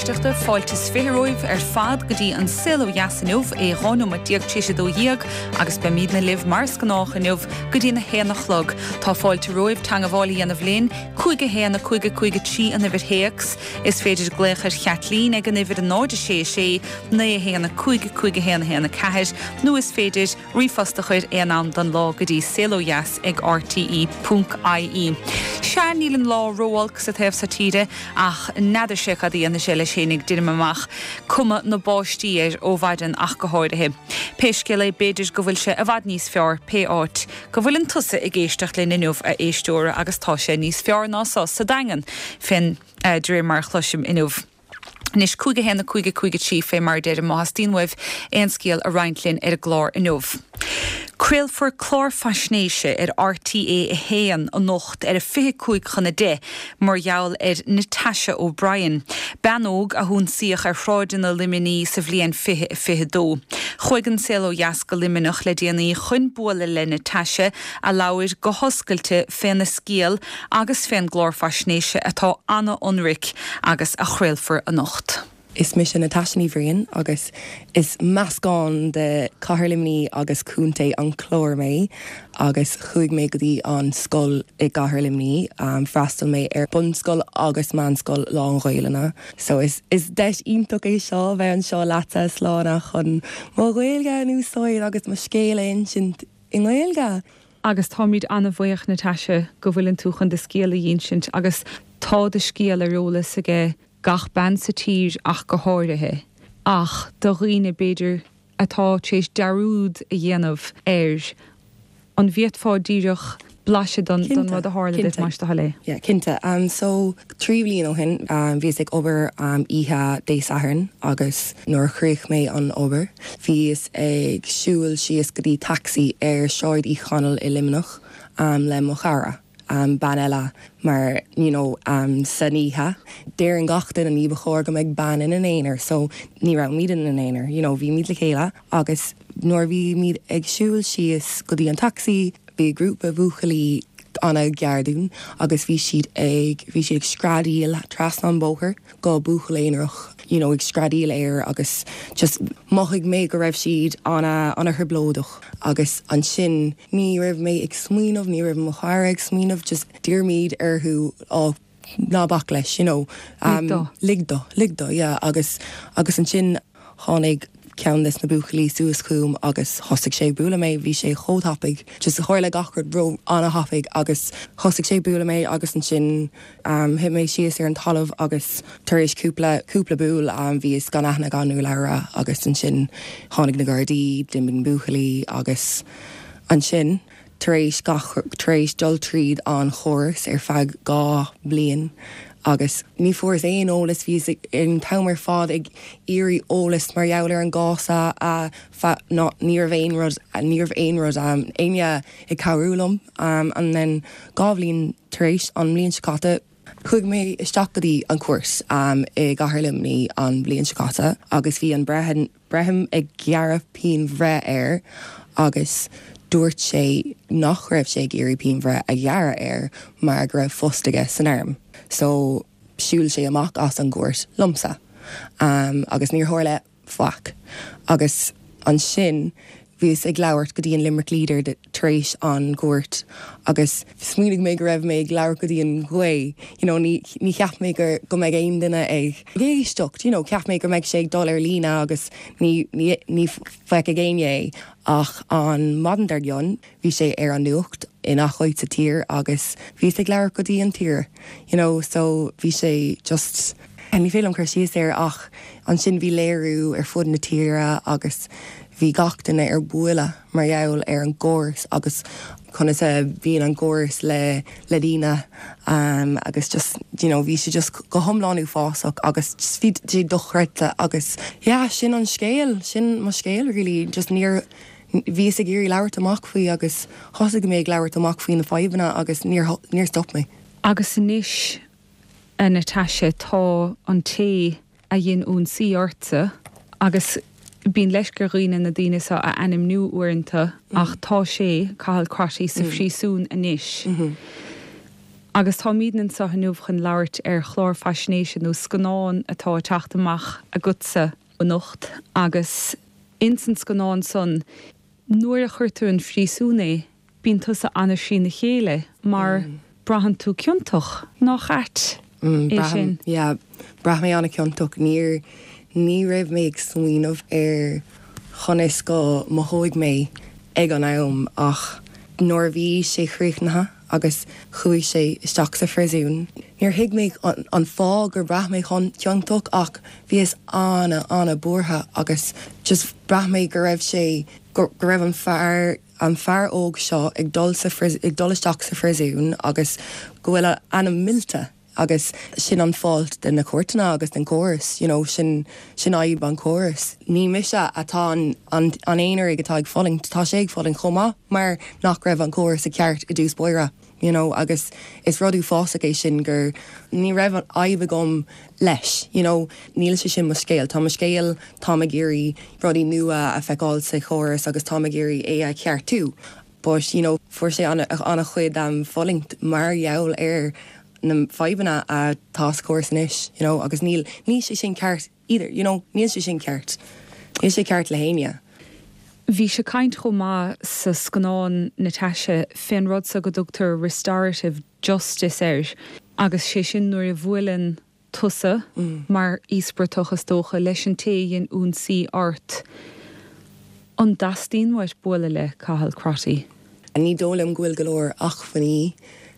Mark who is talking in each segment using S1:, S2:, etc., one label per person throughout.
S1: éisteachta, fáilte is 20 romhaibh ar fad go dtí An Saol Ó Dheas inniu, é 12 nóiméad tar éis 12 agus beimidne libh mar is gnách inniu go dtí na haon a chlog. Tá fáilte romhaibh teangabháil a dhéanamh linn, 5 1 5 5 3 an uimhir théacs. Is féidir glaoch ar Chaitlín ag an uimhir 0 6 6 9 1 5 5 1 1 4 nó is féidir ríomhphost a chur aon am den lá go dtí saolodheas ag rte ponc ie. Sea, níl an lá ró-olc sa taobh so tíre ach n'fheadar sé cad a dhéanfaidh sé leis fhéinig, deirim amach, cuma na báistí air ó mhaidin ach go háirithe. Pé scéal é, b'fhéidir go bhfuil sé i bhfad níos fearr pé áit go bhfuileann tusa ag éisteacht linn inniu, a éisteora, agus tá sé níos fearr ná so sa Daingean, fén, de réir mar a chloisim inniu. Anois, 5 1 5 5 3, fé mar a deirim, má theastaíonn uaibh aon scéal a roinnt linn ar an gclár inniu. Craolfar clár faisnéise ar RTÉ 1 anocht ar a 25 chun 10 mar gheall ar Natasha O'Brien, bean óg a hionsaíodh ar shráideanna Luimnigh sa bhliain 2022. Chuaigh An Saol Ó Dheas go Luimneach le déanaí chun bualadh le Natasha, a labhair go hoscailte féna scéal agus fén gclár faisnéise atá ana-ionraic agus a chraolfar anocht.
S2: Is mise Natasha Ní Bhriain agus is meascán de Cathair Luimnigh agus Contae an Chláir mé agus chuaigh mé go dtí an scoil i gCathair Luimnigh. Freastal mé ar bunscoil agus meánscoil lán-Ghaelainne. So is is deis iontach é seo bheith anseo leatsa a Sláine chun mo Ghaeilge a úsáid agus mo scéal a insint i nGaeilge.
S1: Agus táimid an-bhuíoch, Natasha, go bhfuileann tú chun do scéal a dh'insint agus tá do scéal ar eolas aige gach bean sa tír ach go háirithe, ach do dhaoine, b'fhéidir, atá tar éis dearúd a dhéanamh air, an bhféadfá díreach blaiseadh den rud a tharla duit, más do thoil é?
S2: Yeah, cinnte. So, 3 bhliain ó shin, bhíos ag obair oíche Dé Sathairn agus nuair a chríoch mé an obair, bhíos ag siúl síos go dtí taxi ar Sráid Uí Chonaill i Luimneach le mo chara, bean eile, mar you know san oíche, deireann gach duine ní ba chóir go mbeidh bean ina n-aonar so ní raibhimid ina n-aonar, you know bhímid le chéile agus nuair a bhímid ag siúl síos go dtí an taxi, Bhí grúpa buachaillí ana-ghar dúinn agus bhí siad ag, bhí siad ag screadaíl trasna an bóthar go buachaill aonarach, you know, ag screadaíl air agus just mhothaigh mé go raibh siad ana, ana-thrioblóideach agus ansin ní raibh mé ag smaoineamh, ní raibh mo chara ag smaoineamh, just d'iarr muid orthu, oh, ná bac leis, you know.
S1: Lig dó.
S2: Lig dó, lig dó, yeah. Agus, agus ansin tháinig ceann des na buachaillí suas chugam agus thosaigh sé ag bualadh mé, bhí sé chomh tapaidh, just tharla gach rud ró ana-thapaidh agus thosaigh sé ag bualadh mé agus ansin um thit mé síos ar an talamh agus tar éis cúpla, cúpla buail um bhíos gan aithne gan urlabhra agus ansin tháinig na Gardaí, d'imigh na buachaillí agus ansin. tar éis gach, tar éis dul tríd an chóras ar feadh 2 bliain agus ní fuaireas aon eolas, bhíos an t-am ar fad ag iarraidh eolas mar gheall ar an gcás a, a, fa, ná, ní raibh aon rud, ní raibh aon rud, éinne ag cabhrú liom and then 2 bhliain tar éis, an mbliain seo caite, Chuaigh mé isteach go dtí an cúirt i gCathair Luimnigh an bhliain seo caite agus bhí an breitheamh, breitheamh ag gearradh pianbhreith air agus dúirt sé nach raibh sé ag iarraidh pianbhreith a ghearradh air mar go raibh post aige san arm. So shiúil sé amach as an gcúirt liomsa agus níor tharla faic. Agus ansin bhíos ag labhairt go dtí an Limerick Leader tar éis an gcúirt agus smaoinigh mé go raibh mé ag labhairt go dtí an ghaoth, you know, ní, ní cheap mé gur, go mbeidh aon duine ag éisteacht, you know, cheap mé go mbeidh sé ag dul ar líne agus ní, ní, ní feicfidh éinne é. Ach an maidin dár gcionn bhí sé ar an nuacht i ngach áit sa tír agus bhíos ag labhairt go dtí an tír, you know, so bhí sé just, ní féidir liom cur síos air ach ansin bhí léiriú ar fud na tíre agus bhí gach duine ar buile mar gheall ar an gcóras agus conas a bhíonn an gcóras le le daoine agus just you know bhí sé just go hiomlán uafásach agus just bhí sé dochreidte agus yeah sin an scéal, sin mo scéal really just níor bhíos ag iarraidh labhairt amach faoi agus thosaigh mé ag labhairt amach faoi na fadhbanna agus níor níor stop mé.
S1: Agus anois a Natasha tá an té a dhein ionsaí ortsa agus bíonn leisce ar dhaoine na daoine seo a ainmniú uaireanta ach tá sé, Cathal Crotty, sa phríosún anois. Agus táimidne anseo inniu chun labhairt ar chlár faisnéise nó scannán atá ag teacht amach agatsa anocht agus ins an scannán san nuair a chuirtear 'un phríosúin é bíonn tusa ana thrína chéile mar braitheann tú ciontach, nach ait é sin?
S2: Yeah, bhraith mé ana ciontach, níor, ní raibh mé ag smaoineamh ar chonas go mothóidh mé ag an am ach nuair a bhí sé chríochnaithe agus chuaigh sé isteach sa phriosún, níor thuig mé an fáth gur bhraith mé ciontach ach bhíos ana, ana buartha agus just bhraith mé go raibh sé, go raibh an fear, an fear óg seo ag dul sa ag dul isteach sa phriosún agus go bhfuil a ainm millte agus sin an fault de na cúirteanna agus den córas you know sin sin fhadhb an córas. Ní mise atá an an an aonair atá ag fulaingt, tá sé ag fulaingt chomh maith mar nach raibh an córas i ceart i dtús báire. You know agus is rud uafásach é sin gur ní raibh an fhadhb agam leis you know níl sé sin mo scéal tá mo scéal táim ag iarraidh rudaí nua a feiceáil sa chóras agus táim ag iarraidh é a cheartú but you know fuair sé an-chuid fulaingt mar gheall ar na fadhbanna atá sa chóras anois you know agus níl níl sé sin ceart either, you know, níl sé sin ceart. Níl sé ceart le héinne.
S1: Bhís ag caint chomh maith sa scannán Natasha fén rud so go dtugtar restorative justice air agus sé sin nuair a bhuaileann tusa, mar íospartach is dócha, leis an té a dhein ionsaí ort. An dteastaíonn uait bualadh le Cathal Crotty?
S2: Ní dóigh liom go bhfuil go leor acmhainní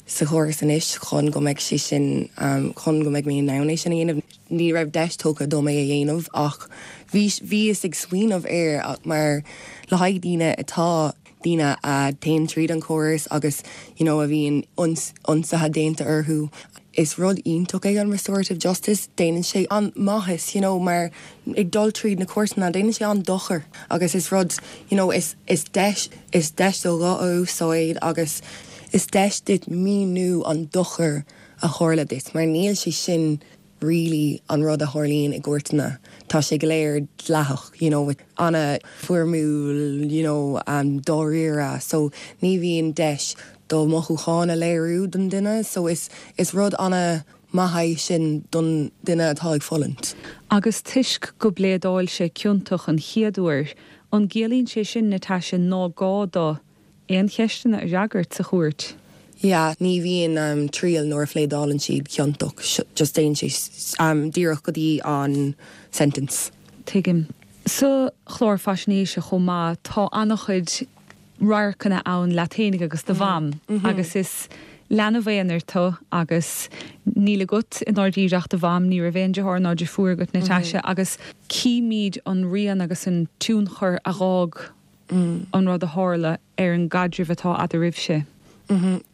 S2: sa chóras anois chun go mbeidh sé sin, chun go mbeidh mé in ann é sin a dhéanamh. Ní raibh deis tugtha dom é a dhéanamh ach bhí, bhíos ag smaoineamh air mar le haghaidh daoine atá, daoine a théann tríd an chóras agus you know a bhíonn ionsaithe déanta orthu. Is rud iontach é an restorative justice, déanann sé an-mhaitheas you know mar ag dul tríd na cúirteanna déanann sé an-dochar agus is rud you know is is deis is deis do ghuth a úsáid agus is deis duit míniú an dochar a tharla duit mar níl sé sin really an rud a tharlaíonn i gcúirteanna tá sé go léir dleathach you know an-fhoirmiúil you know dáiríre so ní bhíonn deis do mhothúcháin a léiriú don duine so is is rud an-mhaith é sin don duine atá ag fulaingt.
S1: Agus toisc go bpléadáil sé ciontach an chéad uair, an gciallaíonn sé sin, Natasha, ná gá dó aon cheisteanna a fhreagairt sa chúirt?
S2: Yeah, ní bhíonn triail nuair a phléadálann siad ciontach, just téann sé díreach go dtí an sentence.
S1: Tuigim. Sa chlár faisnéise chomh maith, tá an-chuid radharcanna ann leat fhéinig agus do mham agus is leanbh aonair tú agus níl agat i ndáiríre ach do mham, ní raibh aon deartháir ná deirfiúr agat Natasha agus címid an rian agus an tionchar a dh'fhág an rud a tharla ar an gcaidreamh atá eadraibhse.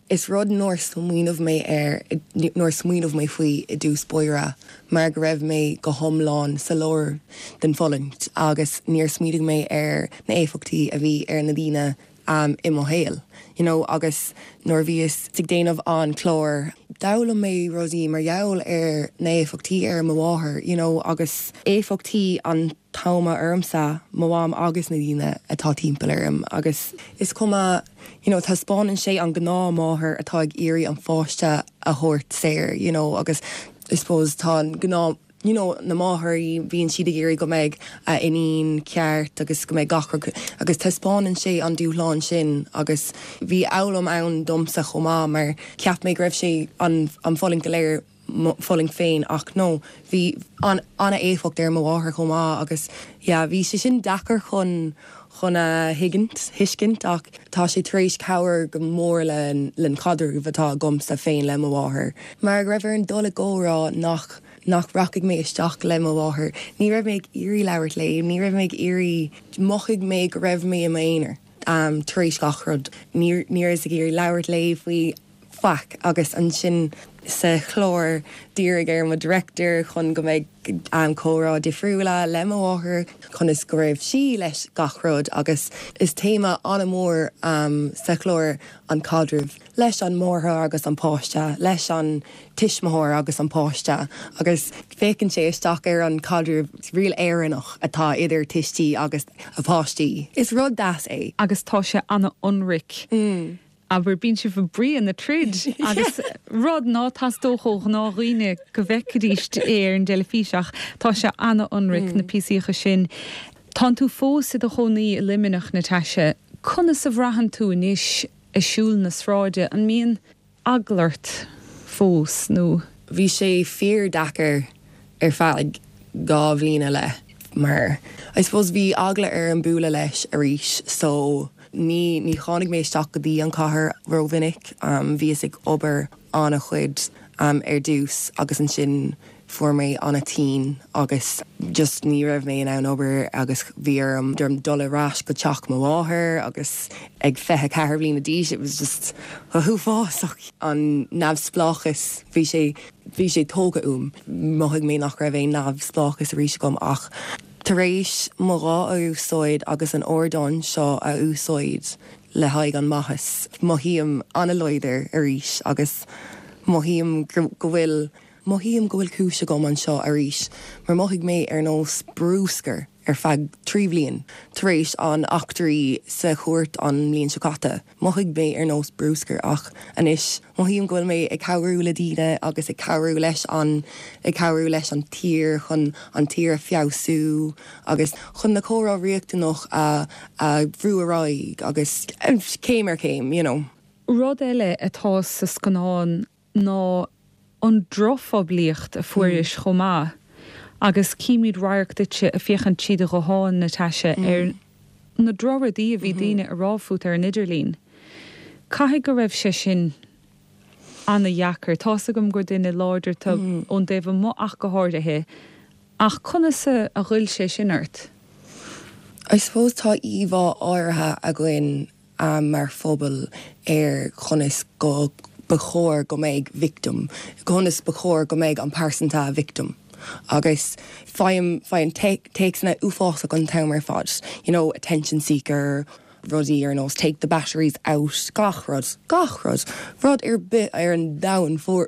S2: Is rud nár smaoineamh mé air, nár smaoineamh mé faoi i dtús báire mar go raibh mé go hiomlán sa lár den fulaingt agus níor smaoinigh mé ar na éifeachtaí a bhí ar na daoine i mo shaol you know agus nuair a bhíos ag déanamh an clár d'fhoghlaim mé rudaí mar gheall ar na éifeachtaí ar mo mháthair you know agus éifeachtaí an tráma ormsa, mo mham agus na daoine atá timpeall orm agus is cuma you know taispeánann sé an gnáth máthair atá ag iarraidh an pháiste a thabhairt saor you know agus I suppose tá an gnáth you know na máthairí bíonn siad ag iarraidh go mbeidh a iníon ceart agus go mbeidh gach rud agus taispeánann sé an dúshlán sin agus bhí fhoghlaim ann domsa chomh maith mar cheap mé go raibh sé an an fulaingt go léir mo fulaingt féin ach no bhí an-éifeacht ar mo mháthair chomh maith agus yeah bhí sé sin deacair chun chun a thuigint, thuiscint ach tá sé tar éis cabhair go mór le len caidreamh atá agamsa féin le mo mháthair. Mar go raibh orm dul i gcomhrá nach nach rachaidh mé isteach le mo mháthair. Ní raibh mé ag iarraidh labhairt léi, ní raibh mé ag iarraidh, mhothaigh mé go raibh mé i m'aonar tar éis gach rud. Ní ní rabhas ag iarraidh labhairt léi faoi faic agus ansin sa chlár d'iarr ar mo director chun go mbeidh comhrá difriúla le mo mháthair conas go raibh sí leis gach rud agus is téama an-mhór sa chlár an caidreamh leis an máthair agus an páiste, leis an tuismitheoir agus an páiste agus féachann sé isteach ar an caidreamh real Éireannach atá idir tuistí agus a páistí. Is rud deas é.
S1: Agus tá sé an-ionraic. Abair, bíonn sibh ag bruíon na troid agus rud ná teastódh ó ghnáthdhaoine go bhfeicfidís é ar an dteilifís ach tá sé ana-ionraic, na píosaíocha sin. Tánn tú fós i do chónaí i Luimneach, Natasha. Conas a bhraitheann tú anois ag siúl na sráide? An mbíonn eagla ort fós nó?
S2: Bhí sé fíor deacair ar feadh 2 bhliain i leith mar I suppose bhí eagla orm bualadh leis arís so ní ní tháinig mé isteach go dtí an cathair rómhinic. Bhíos ag obair an-chuid ar dtús agus ansin fuair mé an-tinn agus just ní raibh mé in ann obair agus bhí orm dul ar ais go teach mo mháthair agus ag 24 bhliana d'aois it was just go huafásach an neamhspleáchas bhí sé bhí sé tógtha uaim mhothaigh mé nach raibh aon neamhspleáchas arís agam ach tar éis mo ghuth a úsáid agus an ardán seo a úsáid le haghaidh an maitheas mothaím an-láidir arís agus mothaím go bhfuil Mothaím go bhfuil cúis agam anseo arís mar mhothaigh mé ar nós brúscar ar feadh 3 bhliain tar éis an eachtraí sa chúirt an mbliain seo caite. Mhothaigh mé ar nós brúscar ach anois mothaím go bhfuil mé ag cabhrú le daoine agus ag cabhrú leis an ag cabhrú leis an tír chun an tír a feabhsú agus chun na comhrá riachtanach a a bhrú ar aghaidh agus céim ar chéim you know.
S1: Rud eile atá sa scannán ná an drochphoiblíocht a fuairis chomh maith agus címid radharc duitse ag féachaint trí do ghuthán, Natasha, ar na drochrudaí a bhí daoine a rá fút ar an idirlíon. Caithfidh go raibh sé sin ana-dheacair. Tá's agam gur duine láidir tú ón dtaobh amuigh ach go háirithe, ach conas a ghoill sé sin ort?
S2: I suppose tá íomhá áirithe againn mar phobal ar chonas go ba chóir go mbeidh victim, conas ba chóir go mbeidh an pearsanta victim agus faighim, faigheann téacsanna uafásach an t-am ar fad, you know, attention seeker, rudaí ar nós take the batteries out, gach rud, gach rud, rud ar bith ar an domhan fuair,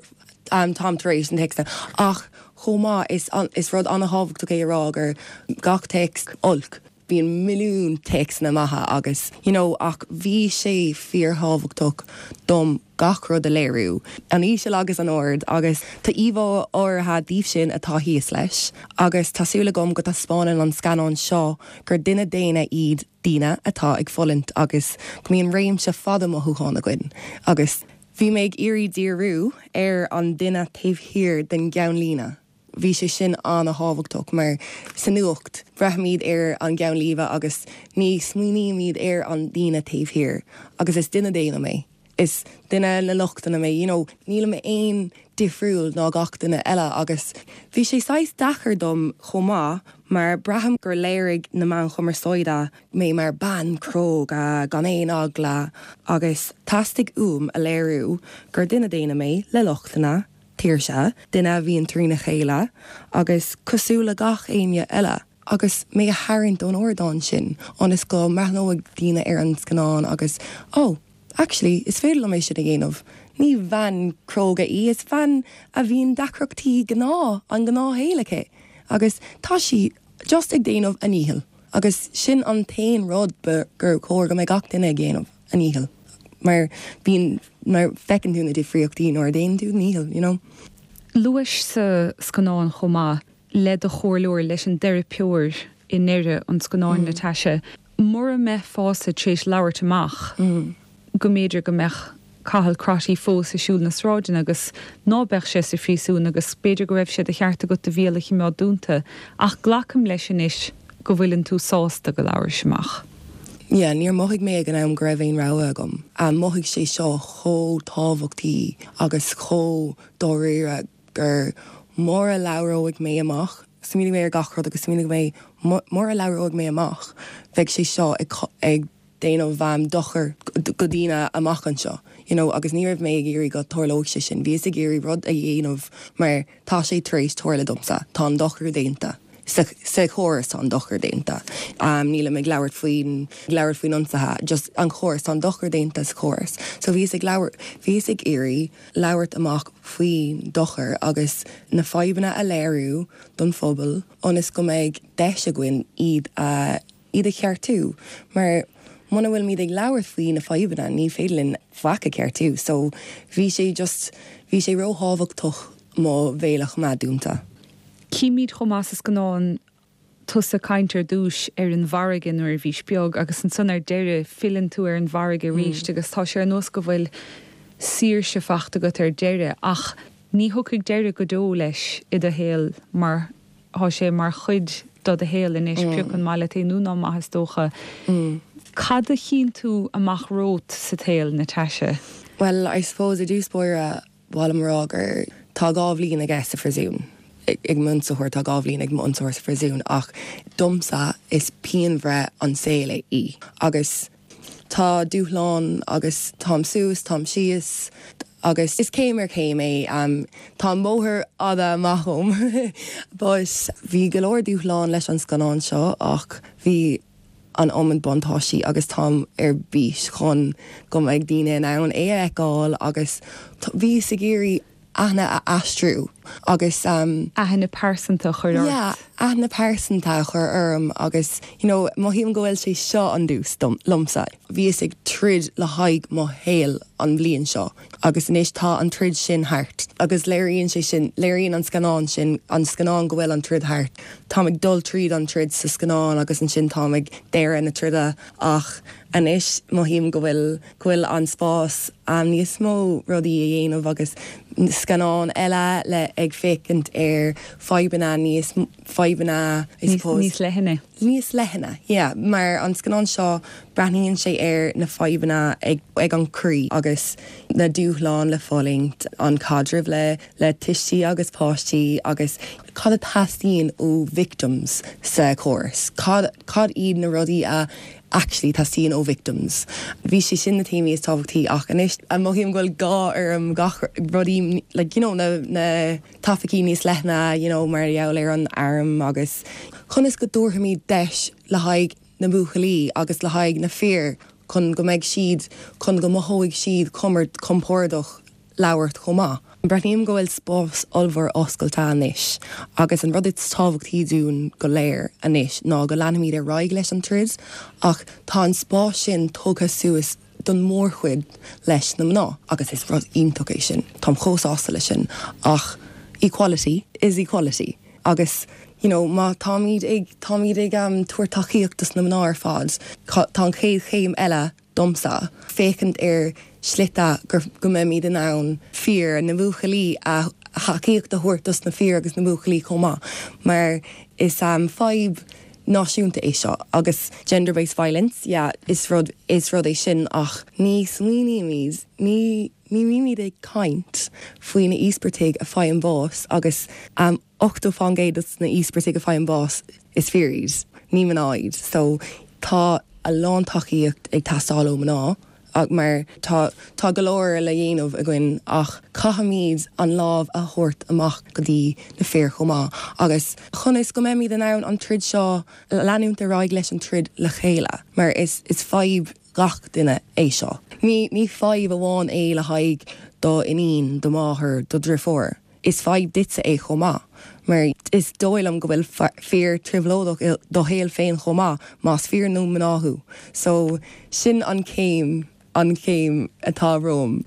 S2: táim tar éis na téacsanna ach chomh maith is, is rud an-thábhachtach é a rá gur gach téacs olc. Bíonn milliún téacsanna maithe agus you know ach bhí sé fíorthábhachtach dom gach rud a léiriú, an íseal agus an ard agus tá íomhá áirithe díobh sin atá thíos leis agus tá súil agam go dtaispeánann an scannán seo gur duine daonna iad daoine atá ag fulaingt agus go mbíonn réimse fada mothúchán againn agus bhí mé ag iarraidh díriú ar an duine taobh thiar den gceannlíne. Bhí sé sin an-thábhachtach mar sa nuacht, breathnaímid ar an gceannlíne agus ní smaoinímid ar an daoine taobh thiar agus is duine daonna mé, is duine le lochtanna mé, you know, nílim aon difriúil ná gach duine eile agus bhí sé saghas deacair dom chomh maith mar braithim gur léirigh na meáin chumarsáide mé mar bean cróga gan aon eagla agus theastaigh uaim a léiriú gur duine daonna mé le lochtanna tuirseach, duine a bhíonn trína chéile agus cosúil le gach éinne eile. Agus mé a tharraingt ón ardán sin ionas go mbreathnóidh daoine ar an scannán agus oh, actually, is féidir liom é sin a dhéanamh. Ní bhean cróga í, is bean a bhíonn deacrachtaí gnáth, an gnáthshaol aici agus tá sí just ag déanamh a ndícheall agus sin an t-aon rud ba gur chóir go mbeadh gach duine ag déanamh, a ndícheall. Mar bíonn, mar feiceann tú na difríochtaí nuair a déanann tú do dhícheall, you know.
S1: Luais sa scannán chomh maith le do chomhairleoir, leis an dteiripeoir i ndeireadh an scannáin, Natasha, mura mbeifeása tar éis labhairt amach, go mb'fhéidir go mbeadh Cathal Crotty fós ag siúl na sráideanna agus ná beadh sé sa phríosún agus b'fhéidir go raibh sé de cheart agat do bhéal a chimeád dúnta ach glacaim leis anois go bhfuileann tú sásta go labhrais amach.
S2: Yeah, níor mhothaigh mé ag an am go raibh aon rogha agam. Mhothaigh sé seo chomh tábhachtaí agus chomh dáiríre gur mura labhróidh mé amach, smaoinigh mé ar gach rud agus smaoinigh mé mura labhróidh mé amach bheidh sé seo ag ag déanamh dochar go daoine amach anseo you know agus ní raibh mé ag iarraidh go tarlódh sé sin, bhíos ag iarraidh rud a dhéanamh mar tá sé tar éis tarlú domsa, tá an dochar déanta, sa sa chóras tá an dochar déanta, nílim ag labhairt faoin ag labhairt faoin ionsaithe, just an chóras, tá an dochar déanta sa chóras. So bhíos ag labhairt, bhíos ag iarraidh labhairt amach faoin dochar agus na fadhbanna a léiriú don phobal ionas go mbeidh deis againn iad a iad a cheartú mar. muna bhfuilimid ag labhairt faoi na fadhbanna ní féidir linn faic a cheartú. So bhí sé just, bhí sé róthábhachtach mo bhéal a choimeád dúnta.
S1: Címid chomh maith is gnáth tusa ag caint ar dtúis ar an bhfarraige nuair a bhís beag agus ansan ar deireadh filleann tú ar an bhfarraige arís agus tá sé ar nós go bhfuil saoirse fachta agat ar deireadh ach ní thiocfaidh deireadh go deo leis i do shaol mar tá sé mar chuid do do shaol anois pioc an maith leat é nó ná maith is dócha. Cad a chíonn tú amach romhat sa tsaol, Natasha?
S2: Bhuel, I suppose i dtús báire Ba mhaith liom a rá gur tá 2 bhliain aige sa phríosún, ag m'ionsaitheoir, tá 2 bhliain ag m'ionsaitheoir sa phríosún ach domsa is pianbhreith an saol é í agus tá dúshlán agus táim suas, táim síos agus is céim ar chéim é, tá an bóthar fhada amach romham but bhí go leor dúshlán leis an scannán seo ach bhí an iomad buntáistí agus táim ar bís chun go mbeidh daoine in ann é a fheiceáil agus bhíos ag iarraidh aithne a aistriú agus.
S1: Aithne pearsanta a chur ort.
S2: Yeah, aithne pearsanta a chur orm agus you know mothaím go bhfuil sé seo an dtús dom, liomsa. Bhíos ag troid le haghaidh mo shaol an bhliain seo agus anois tá an troid sin thart agus léiríonn sé sin, léiríonn an scannán sin, an scannán go bhfuil an troid thart. Táim ag dul tríd an troid sa scannán agus ansin táim ag deireadh na troda ach anois mothaím go bhfuil, go bhfuil an spás a'm níos mó rudaí a dhéanamh agus scannán eile le ag féachaint ar fadhbanna níos, fadhbanna I suppose.
S1: Níos leithne.
S2: Níos leithne, yeah. Mar an scannán seo, breathnaíonn sé ar na fadhbanna ag ag an croí agus na dúshláin le fulaingt, an caidreamh le le tuistí agus páistí agus cad a theastaíonn ó victims sa chóras, cad cad iad na rudaí a actually teastaíonn ó victims. Bhí sé sin na téamaí is tábhachtaí ach anois mothaím go bhfuil gá orm gach rudaí like you know na na topaicí níos leithne you know mar gheall ar an arm agus conas go dtabharfaimid deis le haghaidh na buachaillí agus le haghaidh na fir chun go mbeidh siad, chun go mothóidh siad compordach labhairt chomh maith. Breathnaím go bhfuil spás ollmhór oscailte anois agus an rud is tábhachtaí dúinn go léir anois ná go leanfaimid ar aghaidh leis an troid ach tá an spás sin tugtha suas don mhórchuid leis na mná agus is rud iontach é sin, táim chomh sásta leis sin ach equality is equality agus you know má táimid ag, táimid ag tabhairt tacaíocht dos na mná ar fad, tá an chéad chéim eile domsa féachaint ar shlite gur, go mbeimid in ann fir, na buachaillí a, thacaíocht a thabhairt dos na fir agus na buachaillí chomh maith mar is fadhb náisiúnta é seo agus gender based violence, yeah, is rud, is rud é sin ach ní smaoinímid, ní, ní bhímid ag caint faoi na íospartaigh a faigheann bás agus 80% dos na íospartaigh a faigheann bás is fir iad, ní mná iad so tá a lán tacaíocht ag teastáil ó mná. Mar tá, tá go leor le dhéanamh againn ach caithfimid an lámh a thabhairt amach go dtí na fir chomh maith agus chun is go mbeimid in ann an troid seo, leanúint ar aghaidh leis an troid le chéile mar is, is fadhb gach duine é seo. Ní, ní fadhb amháin é le haghaidh do iníon, do mháthair, do dhriofúr. Is fadhb duitse é chomh maith, mar is dóigh liom go bhfuil fir trioblóideach i do shaol féin chomh maith, más fir nó mná thú. So, sin an chéim, an chéim atá romham.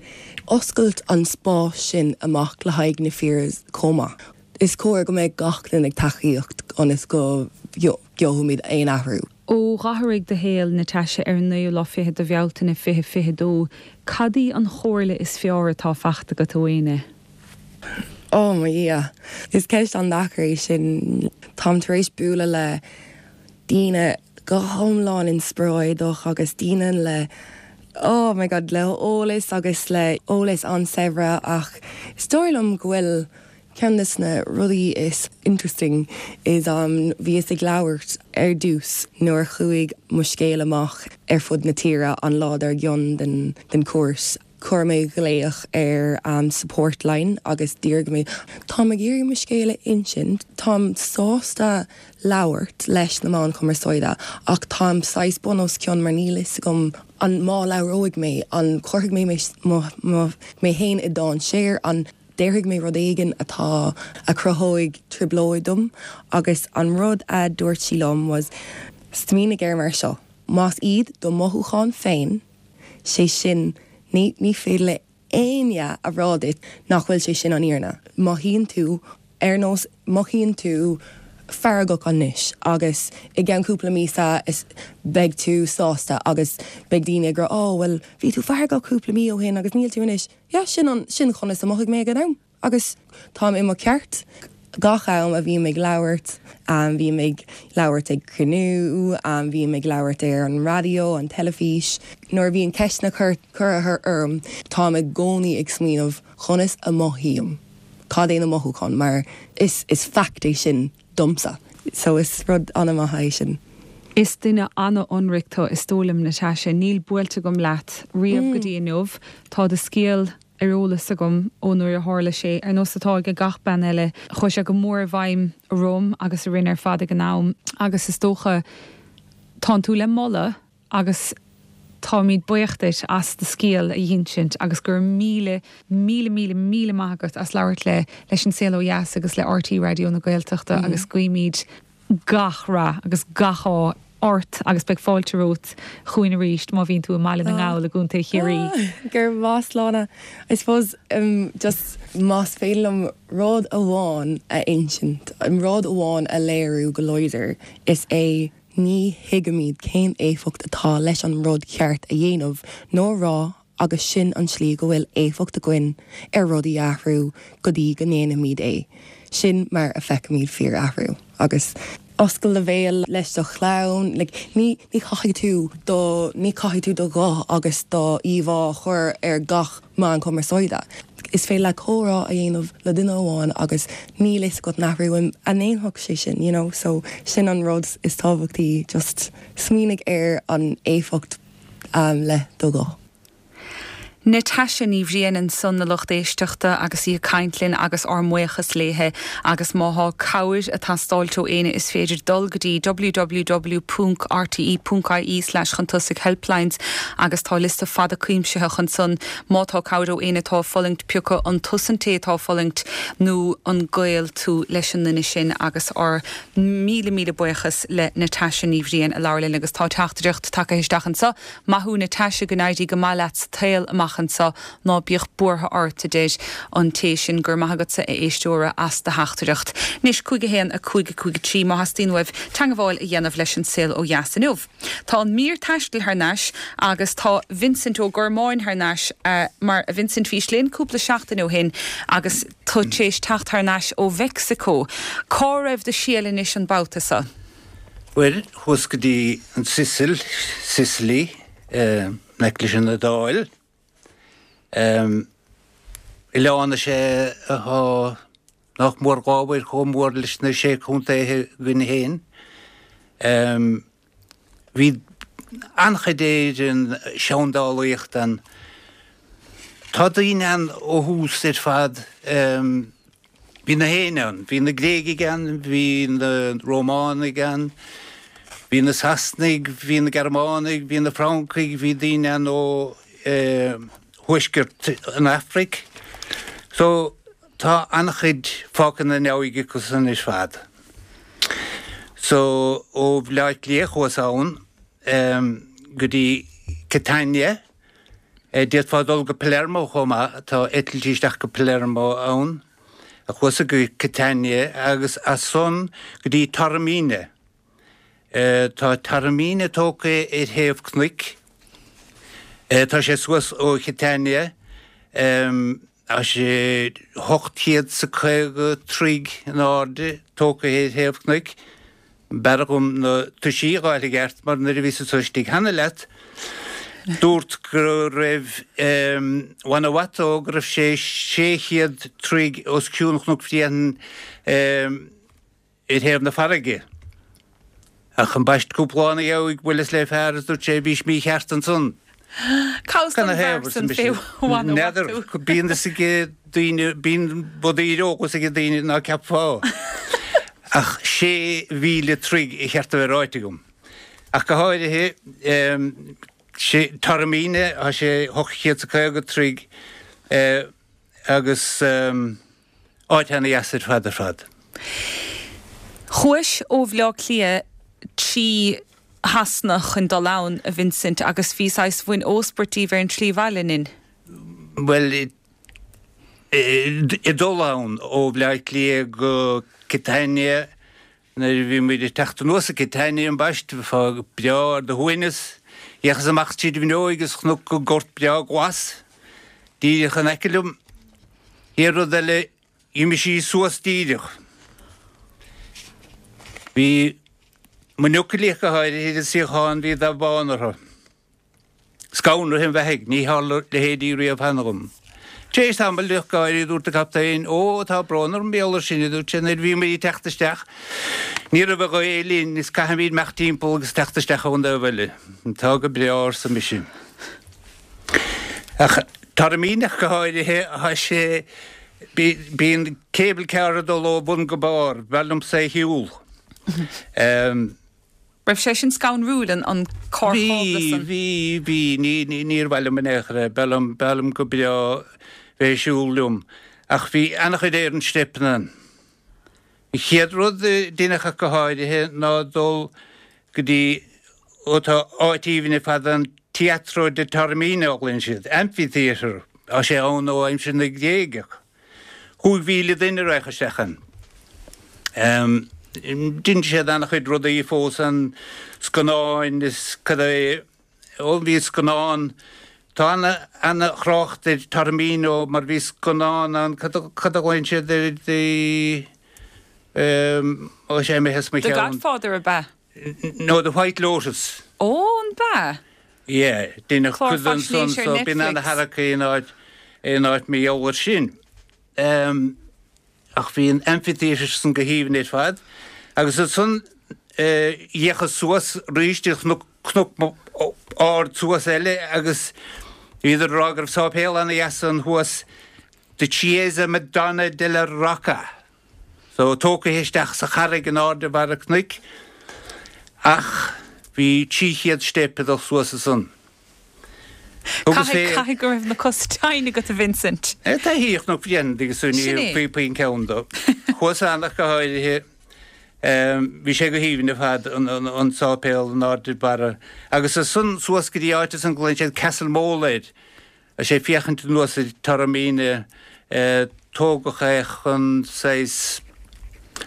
S2: Oscailt an spás sin amach le haghaidh na fir chomh maith. Is cóir go mbeadh gach duine ag tacaíocht ionas go gheobhaimid aon athrú.
S1: Ó d'athraigh do shaol, Natasha, ar an naoú lá fichead de Bhealtaine 2022, cad í an chomhairle is fearr atá fachta agat ó éinne?
S2: Oh mo Dhia! Is ceist an-deacair é sin. Táim tar éis bualadh le daoine go hiomlán inspioráideach agus daoine le, oh my God, le eolas agus le eolas an-saibhir ach is dóigh liom go bhfuil ceann de na rudaí is interesting is bhíos ag labhairt ar dtús nuair a chuaigh mo scéal amach ar fud na tíre an lá dár gcionn den chúirt. Chuir mé glaoch ar an support line agus d'iarr mé, táim ag iarraidh mo scéal a insint, táim sásta labhairt leis na meáin chumarsáide ach táim saghas bun os cionn mar níl fhios agam an má labhróidh mé, an cuirfidh mé mé féin i dainséar, an déarfaidh mé rud éigin atá, a chruthóidh trioblóid dom agus an rud a dúirt sí liom was, smaoinigh air mar seo. Más iad do mothúcháin féin, sé sin, ní ní féidir le éinne a rá duit nach bhfuil sé sin an fhírinne. Mothaíonn tú ar nós, mothaíonn tú feargach anois agus i gceann cúpla míosa is beidh tú sásta agus beidh daoine ag rá oh bhuel bhí tú feargach cúpla mí ó shin agus níl tú anois. Yeah, sin an, sin conas a mhothaigh mé ag an am. Agus táim i mo cheart. Gach am a bhím ag labhairt, bím ag labhairt ag cruinniú, bím ag labhairt ar an raidió, an teilifís, nuair a bhíonn ceisteanna curtha orm, táim i gcónaí ag smaoineamh conas a mothaím, cad é na mothúcháin, mar is is fact é sin domsa. So is rud an-mhaith é sin.
S1: Is duine an-ionraic tú, is dóigh liom, Natasha. Níl buailte agam leat riamh go dtí inniu. Tá do scéal. ar eolas agam ó nuair a tharla sé, ar nós atá ag gach bean eile. Chuaigh sé go mór i bhfeidhm orm agus orainn ar fad ag an am agus is dócha tánn tú le moladh agus táimid buíoch duit as do scéal a dh'insint agus go raibh míle, míle, míle, míle maith agat as labhairt le leis An Saol Ó Dheas agus le RTÉ Raidió na Gaeltachta agus guímid gach rath agus gach ádh ort agus beidh fáilte romhat chugainn arís má bhíonn tú i mBaile na nGall i gContae Chiarraí.
S2: Go raibh maith, Sláine. I suppose just más féidir liom rud amháin a insint, rud amháin a léiriú go láidir, is é ní thuigimid cén éifeacht atá leis an rud ceart a dhéanamh nó a rá agus sin an tslí go bhfuil éifeacht againn ar rudaí a athrú go dtí go ndéanaimid é. Sin mar a feicimid fíor-athrú. Agus oscail do bhéal leis do chlann, like ní ní chaithfidh tú do ní chaithfidh tú do ghuth agus do íomhá a chur ar gach meán cumarsáide. Is féidir leat comhrá a dhéanamh le duine amháin agus níl fhios agat an athrú a ndéanfadh sé sin, you know, so sin an rud is tábhachtaí, just smaoinigh ar an éifeacht le do ghuth.
S1: Natasha Ní Bhriain ansan a lucht éisteachta agus í ag caint linn agus ár mbuíochas léithe agus má thá cabhair a' teastáilt ó éinne is féidir dul go dtí www.rte.ie slash chun tosaigh helplines agus tá liosta fada cuimsitheach ansan má tá cabhair ó éinne atá ag fulaingt pioca an tusa an té atá ag fulaingt nó an gaol tú leis an nduine sin agus ár Míle míle buíochas le Natasha Ní Bhriain a labhair linn agus tá teachtaireacht tagtha isteach anseo. Maith thú Natasha, go n-éirí go maith leat sa tsaol amach anseo, ná bíodh buartha ort, a deir an té sin. Go raibh maith agatsa a éisteora as do theachtaireacht. Anois, 5 1 5 5 3 má theastaíonn uaibh teangabháil a dhéanamh leis an Saol Ó Dheas inniu. Tá an mír taistil thar n-ais agus tá Vincent Ó Gormáin thar n-ais mar a Vincent bhís linn cúpla seachtain ó shin agus tú tar éis teacht thar n-ais ó Mheicsiceo. Cá raibh do sheal anois an babhta so?
S3: Bhuel, chuas go dtí an tSicil, Sicily, in aice leis an Iodáil. Oileán is ea atá nach mór dhá uair chomh mór leis na Sé Chontaetha againn féin. Bhí an-chuid den seandálaíocht ann. Tá daoine ann ó thús ar fad. Bhí na héinne ann. Bhí na Gréigigh ann, bhí na Rómánaigh ann, bhí na Sasanaigh, bhí na Gearmánaigh, bhí na Francaigh, bhí daoine ann ó thuaisceart an Afraic. So tá an-chuid fágtha ina ndiaidh acusan ar fad. So ó Bhleá Cliath chuas ann go dtí Catania. D'fhéadfá dul go Palermo chomh maith, tá eitiltí isteach go Palermo ann. Chuas-sa go Catania agus as san go dtí Taormina. Tá Taormina tógtha ar thaobh cnoic. Tá sé suas ó Chatania. Tá sé 850 troigh in airde, tógtha ar thaobh cnoic. B'fhearr dhom na toisí a dh'fháil i gceart mar nuair a bhíos anso istigh cheana leat, dúrt go raibh Guanajuato, go raibh sé 600 troigh os cionn Chnoc Bhréanainn. ar thaobh na farraige. Ach ambaist cúpla lá ina dhiaidh bhuaileas le fear is dúirt sé bhís mícheart ansan.
S1: Cá bhfios don bhfear san fé Guanajuato?
S3: N'fheadar, bíonn fhios ag daoine, bíonn rudaí ar eolas ag daoine ná ceapfá. Ach 6,000 troigh ba cheart a bheith ráite agam. Ach go háirithe, sé Taormina, tá sé 850 troigh agus. Áit ana-dheas ar fad ar fad.
S1: Chuais ó Bhleá Cliath trí. Shasana chun dul ann, a Vincent, agus bhí saghas, bhain óspairt díbh ar an tslí abhaile, nin?
S3: Bhuel, ag dul ann ó Bhleá Cliath go Catania, nuair a bhí muid ag teacht anuas ag Catania ambaist, bheifeá breá ar do shuaimhneas. D'fhéachas amach tríd an bhfuinneoig is chonac gort breá glas díreach in aice liom. Chéad rud eile, D'imigh sí suas díreach. Bhí mo niocairí ach go háirithe ar an suíochán, bhí dath bán orthu. Scanraithe an bheathaigh, ní tharla leithéidí riamh cheana dhom. Tar éis tamaill ach go háirithe dúirt an captaen, Ó, tá brón orm, mar gheall air sin, a dúirt sé, nuair a bhí muid ag teacht isteach, ní raibh an ghaoth linn is caithfimid imeacht timpeall agus teacht isteach ón dtaobh eile. Tá go breá, arsa mise. Ach Taormina ach go háirithe, tá sé, bíonn cable car ag dul ó bhun go barr, b'fhearr liomsa é a shiúl.
S1: Raibh sé sin scanrúil, an carr cábla
S3: san? Bhí, bhí, bhí, ní, níor mhaith liom in aon chor é, b'fhearr liom, b'fhearr liom go breá bheith ag siúl liom. Ach bhí an-chuid ar an steipeanna ann. An chéad rud a deineadh ach go háirithe ná dul go dtí, ó tá áit aoibhinn ar fad ann, Teatro di Taormina a ghlaonn siad, amphitheatre, tá sé ann ó aimsir na nGréigeach. 5,000 duine a raghadh isteach ann. Dhein siad an-chuid rudaí fós ann, scannáin is cad é. Ó bhí scannán, tá ana-thrácht ar Taormina mar bhí scannán ann, cad a ghlaonn siad air, the, ó sé imithe as mo
S1: The cheann. Godfather ab ea?
S3: No, The White Lotus.
S1: Ó, an b'ea?
S3: Yeah, deineadh Clár cuid ansan faisnéise ar so bíonn Netflix. ana-tharrac in áit, in áit mar gheall air sin. Ach bhí an amphitheatre san go haoibhinn ar fad. Agus ansan d'fhéachas suas arís ar chnoc, cnoc ard suas eile agus bhíodar ag rá go raibh sáipéal ana-dheas ann thuas, The Chiesa Madonna della Rocca. So tógtha isteach sa charraig in airde bharr an chnoic. Ach bhí 300 steip ag dul suas ansan.
S1: Caithfidh, caithfidh go raibh na cosa tinn agat, a Vincent.
S3: Taithí ar Chnoc Bhréanainn agus ní Sin é. faoi an ceann dó. Chuas ann ach go háirithe. Bhí sé go haoibhinn ar fad, an sáipéal in airde barra. Agus ansan suas go dtí áit ansan go nglaonn siad Castle Mole air. Tá sé ag féachaint anuas ar Taormina. Tógadh é chun saghas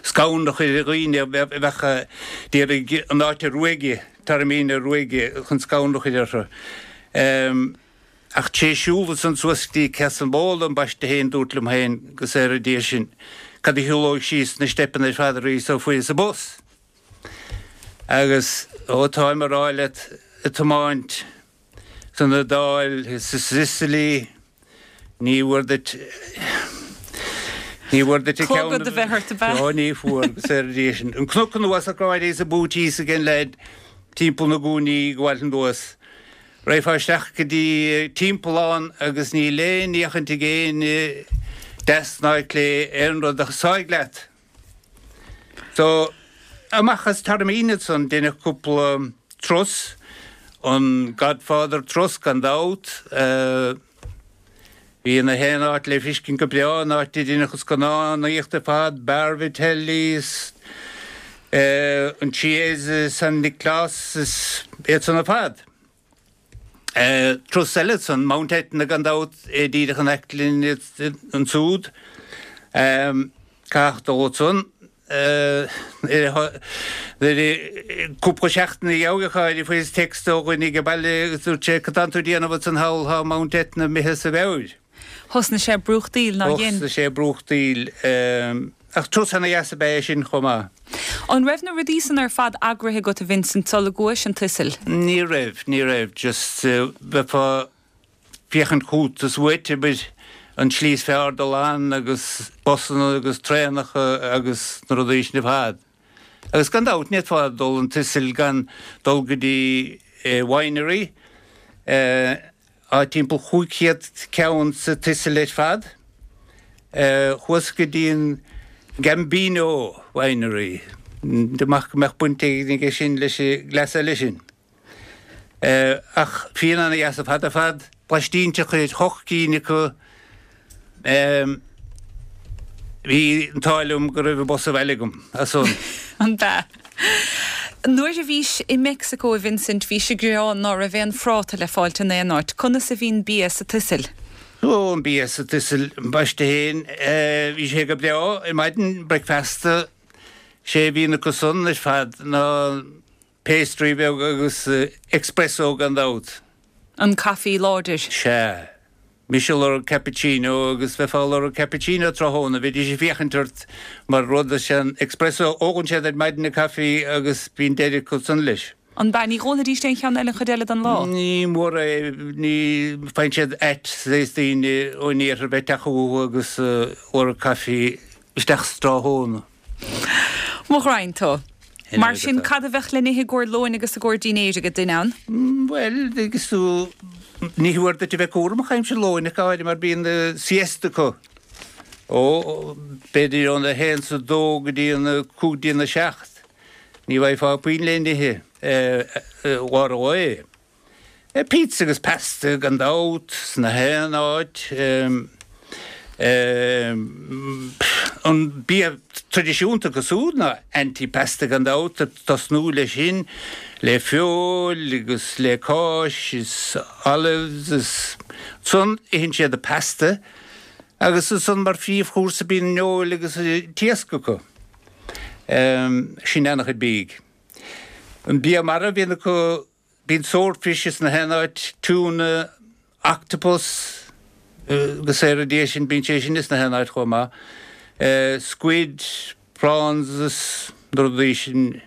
S3: scanradh a chur ar dhaoine a bheadh d'iarraidh an áit a ruaigeadh, Taormina a ruaigeadh, chun scanradh a chur orthu. Ach tar éis siúl ansan suas go dtí Castle Mole ambaiste féin, dúrt liom féin, go saora Dia sinn, cad a shiúlóidh síos na steipeanna ar fad arís ó fuaireas an bus? Agus, ó táim a rá leat, ag tiomáint san Iodáil is sa Sicily, ní bhfuair duit, ní bhfuair duit
S1: an ceann. Clogad a bheith ort, ab ea?
S3: Ó, ní fuair, go saora Dia sinn. An cnoc anuas ach go háirithe is an booties ag an leaid timpeall na gcúinní ag gabháilt anuas. Raghfá isteach go dtí timpeall ann agus níl aon fhéachaint ag éinne deas ná clé ar aon rud ach sáigh leat. So, amach as Taormina ansan, deineadh cúpla turas, an Godfather turas gan dabht, bhí na haon áit le feiscint go breá, an áit a deineadh an scannánaíocht ar fad, Bar Vitelli is an Chiesa San Nioclás is iad san ar fad. Turas eile ansan, Mount Etna gan dabht, é díreach in aice linn ansúd. Caithfidh dul ansan cúpla seachtain ina dhiaidh, a chairde, fuaireas text ó dhuine ag baile agus dúirt sé, cad tánn tú ag déanamh ansan thall, tá Mount Etna imithe as a mheabhair.
S1: Thosnaigh sé ag brúchtaíl, nár dhein?
S3: Thosnaigh sé ag brúchtaíl. Ach turas ana dheas ab ea é sin chomh maith.
S1: An raibh na rudaí san ar fad eagraithe agat, a Vincent, sula gcuais an tSicil?
S3: Ní raibh, ní raibh. Just bheifeá féachaint chút is uait, abair, an tslí is fearr dul ann agus busanna agus traenacha agus na rudaí sin ar fad. Agus gan dabht, ní fhéadfá dul an tSicil gan dul go dtí winery. Tá timpeall 500 ceann sa tSicil ar fad. Chuas go dtí an Gambino Winery. Amach go mbeadh baint éigin aige sin leis an gcleas eile sin. Ach fíon ana-dheas ar fad ar fad. Blaistínteach ar hocht gcinn acu. Bhí an t-ádh liom go raibh an bus abhaile agam as san.
S1: An b'ea? Nuair a bhís i Meicsiceo, a Vincent, bhís ag gearán ná raibh aon phráta le fáilt in aon áit. Conas a bhíonn bia sa tSicil?
S3: Ó, an bia sa tSicil, ambaiste fhéin, bhí sé go breá ar maidin, bricfeasta, sé a bhíonn acu san ar fad ná pastry beag agus expresso gan dabht.
S1: An caife láidir.
S3: Sea. Mise ag lorg cappuccino agus bheifeá ag lorg cappuccino tráthnóna, bheidís ag féachaint ort mar rud is é an expresso, ólann siad ar maidin an caife agus bíonn deireadh acu san leis.
S1: An b'ea? Ní dh'ólfaidís aon cheann eile an chuid eile den lá?
S3: Ní mór é, ní, faigheann siad ait saghas daoine ón iarthar bheith ag teacht chucu agus lorg caife isteach sa tráthnóna.
S1: Mo ghraidhin tú. Mar sin, cad a bheadh le n-ithe i gcomhair lóin agus i gcomhair dínnéir ag duine ann?
S3: Bhuel, agus tú, ní mór duit a bheith cúramach aimsir lóin ach go háirithe mar bíonn siesta acu ó b'fhéidir óna haon is a dó go dtí an cúig dtí'n a seacht. Ní bhfaighfeá puinn le n-ithe i lár an lae. Pizza agus pasta gan dabht, sna haon áit. An bia traidisiúnta acu súd ná antipasta gan dabht, ag tosnú leis sin, le feoil agus le cáis is olives is ansan itheann siad an pasta agus ansan mar phríomhchúrsa bíonn an fheoil agus an t-iasc acu. Sin an-chuid bídh. An bia mara a bhíonn acu Bíonn swordfish ins na haon áit, tuna, octopus agus ar a dhiaidh sin bíonn sé sin ins na haon áit chomh maith. Squid, prawns is na rudaí sin,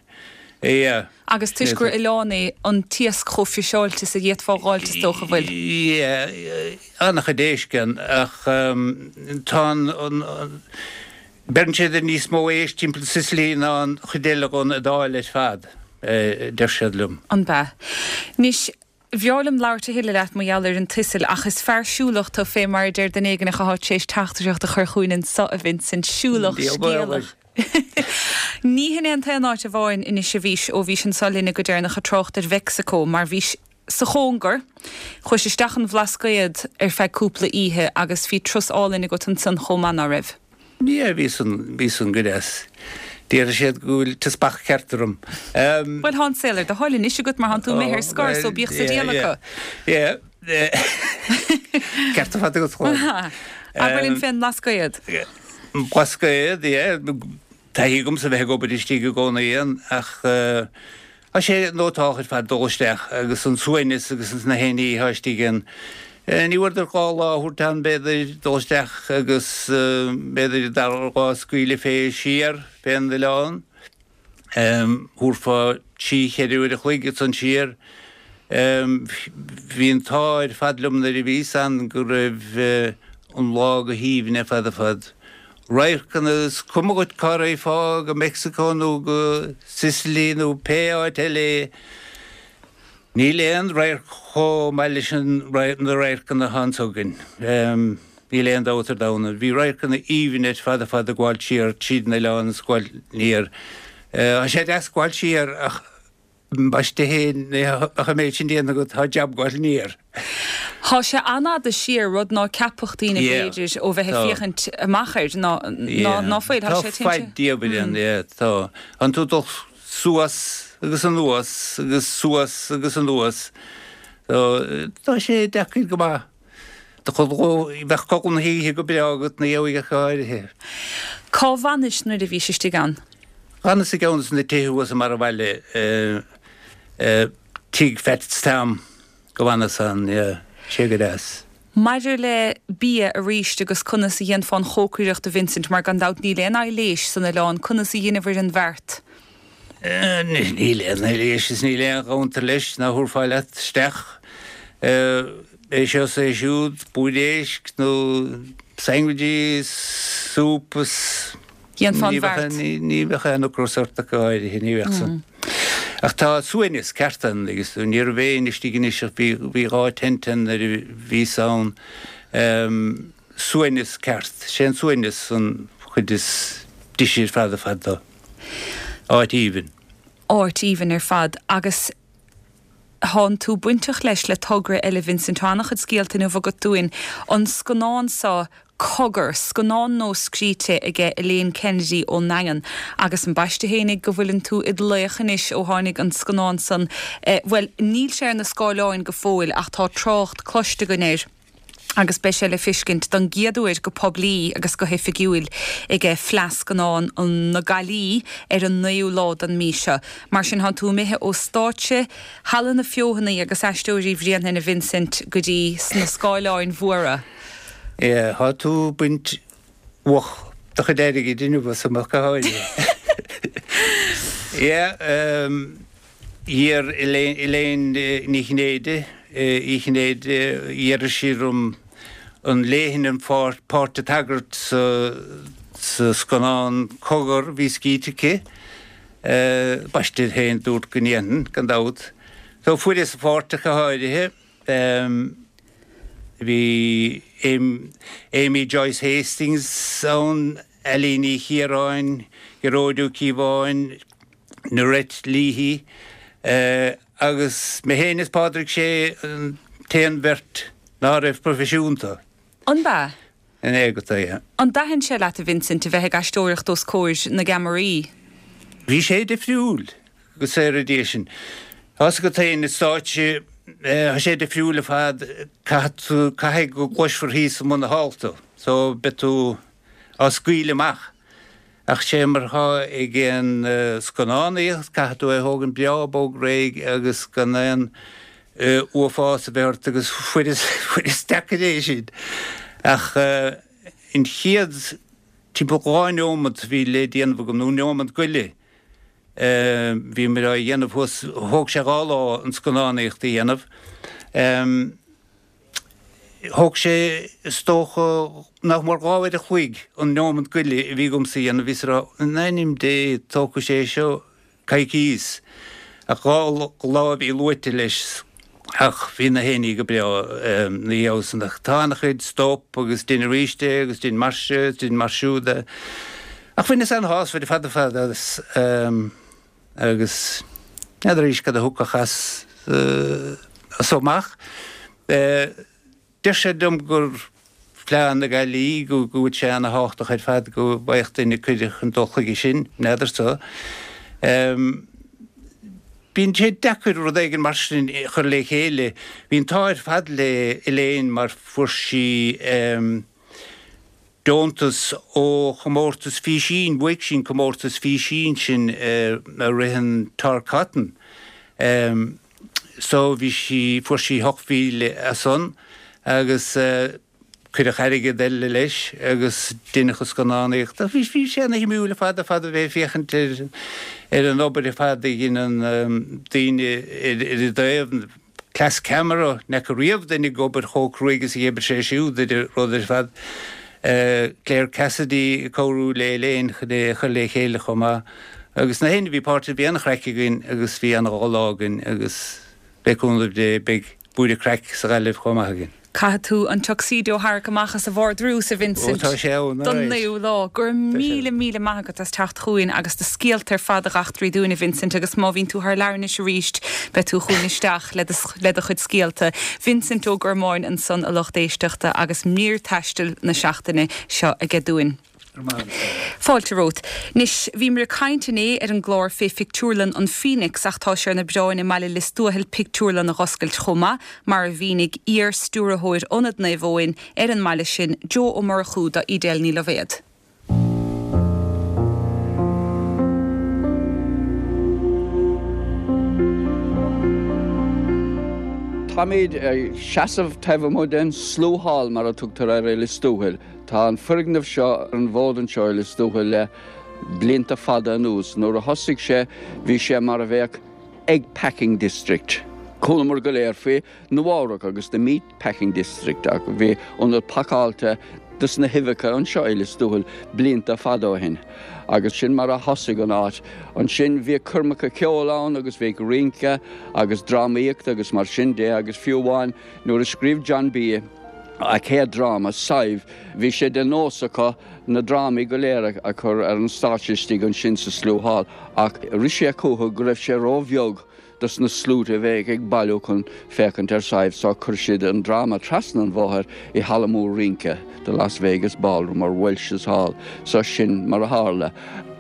S3: yeah.
S1: Agus toisc gur oileán é, an t-iasc chomh friseáilte is a d'fhéadfá a dh'fháilt is dócha, bhfuil?
S3: Yeah, an-chuid éisc ann ach tá an, Beireann siad ar níos mó éisc timpeall Sicily ná an chuid eile dhon Iodáil ar fad, a deir siad liom.
S1: An b'ea? Anois, bhreá liom labhairt a thuilleadh leat mar gheall ar an tSicil, ach is fear siúlach tú, fé mar a deir duine éigin atá tar éis teachtaireacht a chur chugainn anso, a Vincent, siúlach, scéalach. Ní hin é an t-aon áit amháin anois a bhís, ó bhís anso linne go deireanach ag trácht ar Mheicsiceo, mar bhís sa chóngar. Chuais isteach an Bhlascaod ar feadh cúpla oíche agus bhí turas álainn agat ansan chomh maith, ná raibh?
S3: Yeah, bhí san, bhí san go deas. Déarfaidh siad go bhfuil teaspach ceart orm.
S1: Bhuel, tá an saol ar do thoil anois agat mar thánn tú imithe ar scor, so bíodh sa diabhal acu.
S3: Yeah, yeah. Ceart ar fad agat, Chláir.
S1: Abair linn fén mBlascaod.
S3: Blascaod, yeah. Taithí agamsa bheith ag obair istigh i gcónaí ann ach Tá sé nótálach ar fad dul isteach agus an suaimhneas agus na haon ní atá istigh ann. Ní mhór duit 2 lá a thabhairt ann b'fhéidir, dul isteach agus b'fhéidir an dara lá scaoileadh fé siar fén oileán. Thabharfá trí cheithre uair a chloig ansan siar. Bhí an t-ádh ar fad liom nuair a bhíos ann go raibh an lá go haoibhinn ar fad ar fad. Radharcanna, is cuma dhuit cá raghfá, go Meicsiceo nó go Sicily nó pé áit eile é, níl aon radharc chomh maith leis na radharcanna atá anso againn. Níl aon dabht ar domhan ann. Bhí radharcanna aoibhinn ar fad ar fad ag gabháilt siar tríd an oileán is ag gabháilt aniar. Tá sé deas gabháilt siar ach Ambaiste fhéin, ach an méid sin déanta agat, tá jab gabháil aniar.
S1: Tá sé an-fhada siar, rud ná ceapfadh daoine b'fhéidir ó bheith ag féachaint amach air, ná ná fuil.
S3: Tá sé faid diabhail ann, yeah, tá. Tánn tú ag dul suas agus anuas agus suas agus anuas. Tá sé deacair go maith. Bheadh codladh na hoíche go breá agat ina dhiaidh ach go háirithe.
S1: Cá bhfanais nuair a bhís istigh ann?
S3: D'fhanas i gceann de na tithe thuas i mbarr an bhaile, tigh Fats Tom go bhfanas ann, yeah, sé go deas.
S1: Maidir le bia arís agus conas a dhéanfá an chócaireacht a Vincent, mar gan dabht níl aon aibhléis san oileán, conas a dheineabhair an bheart?
S3: Níl aon aibhléis is níl aon chounter leis ná thabharfá leat isteach é seo is é siúd, blúire éisc nó sandwiches, soup is
S1: Dhéanfá an bheart.
S3: Ní bheadh aon ocras ort ach go háirithe, ní bheadh san. Ach tá suaimhneas ceart ann agus ní raibh éinne istigh anois ach bhí 2 tent ann nuair a bhíos ann. Suaimhneas ceart. Sé an suaimhneas an chuid is deise ar fad ar fad dó. Áit aoibhinn.
S1: Áit aoibhinn ar fad. Agus thánn tú bainteach leis le togra eile Vincent. Tá an-chuid scéalta inniu agat dúinn. An scannán seo. Cogar, scannán nua scríte aige Elaine Kennedy ón nDaingean. Agus an b'aisteach fhéinig go bhfuileann tú id laoch anois ó tháinig an scannán san, bhuel, níl sé ar na scáileáin go fóill ach tá trácht cloiste againn air agus beidh sé le fiscint don gcéad uair go poiblí agus go hoifigiúil aige Fleadh Scannán na Gaillimhe ar an 9ú lá den mí seo. Mar sin, thánn tú imithe ó stáitse Halla na Feothanaí agus Aisteoirí Bhréanainn a Vincent go dtí sna scáileáin mhóra.
S3: Yeah, thá tú ag baint uach do chuid airgid inniu asam ach go háirithe. Yeah, d'iarr Elaine Ní Chinnéide, Uí Chinnéide, d'iarr sí orm an léifinn an pháirt an tsagairt sa scannán Cogar a bhí scríte aici. B'aistear féin dúrt go ndéanfainn, gan dabht. So fuaireas an pháirt ach go háirithe. Bhí Amy Joyce Hastings ann, Ailín Ní Chiaráin, Gearóid Ó Cíobháin, Norette Leahy agus mé féin is Pádraig Sé an t-aon bheirt ná raibh proifisiúnta.
S1: An b'ea?
S3: In éagat é.
S1: An dtaitin sé leat, a Vincent, a bheith ag aisteoireacht os comhair na gceamaraí?
S3: Bhí sé difriúil, go saora Dia sinn. Tá's agat féin, ar stáitse, tá sé difriúil ar fad, caithfidh tú, caithfidh go gcloisfear thíos i mbun na hálta tú, so beidh tú á scaoileadh amach. Ach sé mar atá ag an scannánaíocht, caithfidh tú é a thógaint breá bog réidh agus gan aon uafás a bheith ort agus fuaireas, fuaireas deacair é sin. Ach an chéad timpeall 2 neomat a bhí le déanamh agam, nó neomat go leith, bhíomar á dhéanamh thuas, thóg sé 2 lá an scannánaíocht a dhéanamh. Thóg sé, is dócha, nach mór 2 uair a chloig an neomat go leith a bhí agamsa a dhéanamh. Bhíos ag rá, in ainm Dé, tógfaidh sé seo coicíos. Ach 2 lá a bhí luaite leis ach bhí na héinní go breá ina dhiaidh san. Ach tá an-chuid stop agus dein arís é agus dein mar seo agus dein mar siúd é. Ach bhaineas an-shásamh ar fad ar fad as agus n'fheadar arís cad a thiocfadh as so amach. Deir siad liom gur Fleadh na Gaillimhe, go bhfuil sé ana-thábhachtach ar fad go bhfaigheadh duine cuireadh chun dul chuige sin, n'fheadar so. Bíonn sé deacair rud éigin mar sin a chur le chéile. Bhí an t-ádh ar fad le Elaine mar fuair sí deontas ó chomórtas físín, bhuaigh sí an comórtas físín sin a ritheann Tor Cotton. So bhí sí, fuair sí 8,000 as san agus cuireadh airgead eile leis agus deineadh an scannánaíocht. Bhí, bhí sé ana shuimiúil ar fad ar fad a bheith ag féachaint ar, ar an obair ar fad a dhein an daoine ar, ar an dtaobh, cleas ceamara, n'fheaca riamh duine ag obair chomh cruaidh is a dh'oibir sé siúd ar an rud ar fad. Claire Cassidy ag cabhrú le Elaine chun é a chur le chéile chomh maith. Agus na héinne a bhí páirteach, bhí an-chraic againn agus bhí an-dhá lá againn agus le cúnamh Dé beidh búirne craic sa Ghaillimh chomh maith againn.
S1: Caithfidh tú an tuxedo a tharrac amach as an vardrús, a Vincent,
S3: Ó, tá sé ann,
S1: don alright. naoú lá. Go raibh míle, míle maith agat as teacht chugainn agus do scéalta ar fad a dh'eachtraí dúinn, a Vincent, agus má bhíonn tú thar lear anois arís, beidh tú chugainn isteach le do, le do chuid scéalta. Vincent Ó Gormáin ansan, a lucht éisteachta, agus mír taistil na seachtaine seo aige dúinn. Fáilte romhat. Anois, bhíomar ag caint inné ar an gclár fé phictiúrlann an Phoenix ach tá sé ar na bioráin i mbaile Lios Tuathail pictiúrlann a dh'oscailt chomh maith, mar a mhínigh iar-stiúrthóir Ionad Naomh Eoin ar an mbaile sin, Joe Ó Murchú do Edel Ní Loibhéad.
S4: Táimid ag seasamh taobh amuigh den Slough Hall, mar a tugtar air i Lios Tuathail. Tá an foirgneamh seo ar an bhfód anseo i Lios Tuathail le blianta fada anuas. Nuair a thosaigh sé, bhí sé mar a bheadh Egg Packing District. Chualamar go léir faoi Nua-Eabhrac agus the Meat Packing District ach bhí ionad pacáilte dos na huibheacha anseo i Lios Tuathail blianta fada ó shin agus sin mar a thosaigh an áit. Ansin bhíodh coirmeacha ceoil ann agus bhíodh rince agus drámaíocht agus mar sin de agus fiú amháin Nuair a scríobh John B. a chéad dráma, Sadhbh, bhí sé de nós acu na drámaí go léir a chur ar an stáitse istigh ansin sa Slough Hall ach rith sé chucu go raibh sé róbheag. dos na sluaite a bheadh ag bailiú chun féachaint ar Sadhbh so chuir siad an dráma trasna an bhóthair i halla mór rince, The Las Vegas Ballroom or Welsh's Hall, so sin mar a tharla.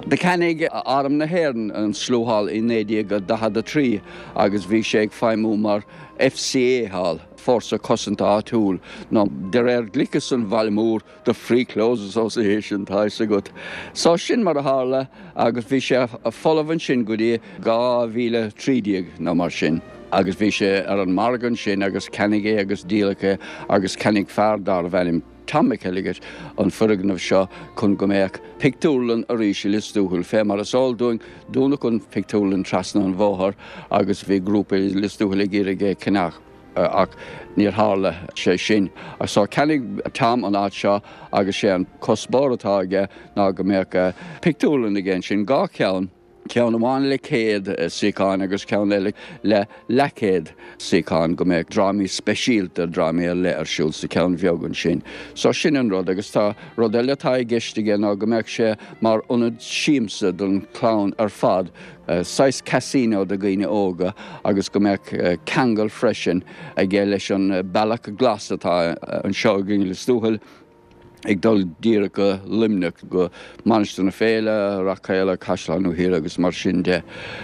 S4: Do cheannaigh Arm na hÉireann an Slough Hall i 1943 agus bhí sé ag feidhmiú mar FCA Hall, Fórsa Cosanta Áitiúil, nó de réir ghliceas an bhaile mór, The Free Clothes Association, tá fhios agat. So sin mar a tharla agus bhí sé folamh ansin go dtí 2013 nó mar sin agus bhí sé ar an margadh ansin agus ceannaíodh é agus díoladh é agus cheannaigh fear darbh ainm Tom McElligott an foirgneamh seo chun go mbeadh pictiúrlann arís i Lios Tuathail. Fé mar is eol dúinn dúnadh an phictiúrlann trasna an bhóthair agus bhí grúpa i Lios Tuathail ag iarraidh é a cheannach. Ach níor tharla sé sin. So cheannaigh Tom an áit seo agus sé an cuspóir atá aige ná go mbeadh pictiúrlann aige ansin, 2 cheann, ceann amháin le 100 suíochán agus ceann eile le leathchéad suíochán, go mbeadh drámaí speisialta, drámaí ar leith ar siúl sa cheann bheag ansin. So sin an rud agus tá rud eile atá i gceist aige ná go mbeadh sé mar ionad siamsa don chlann ar fad, saghas casino do dhaoine óga agus go mbeadh ceangal freisin aige leis an bealach glas atá anseo againn i Lios Tuathail ag dul díreach go Luimneach, go Mainistir na Féile, Rath Caola, Caisleán Uidhilín agus mar sin de.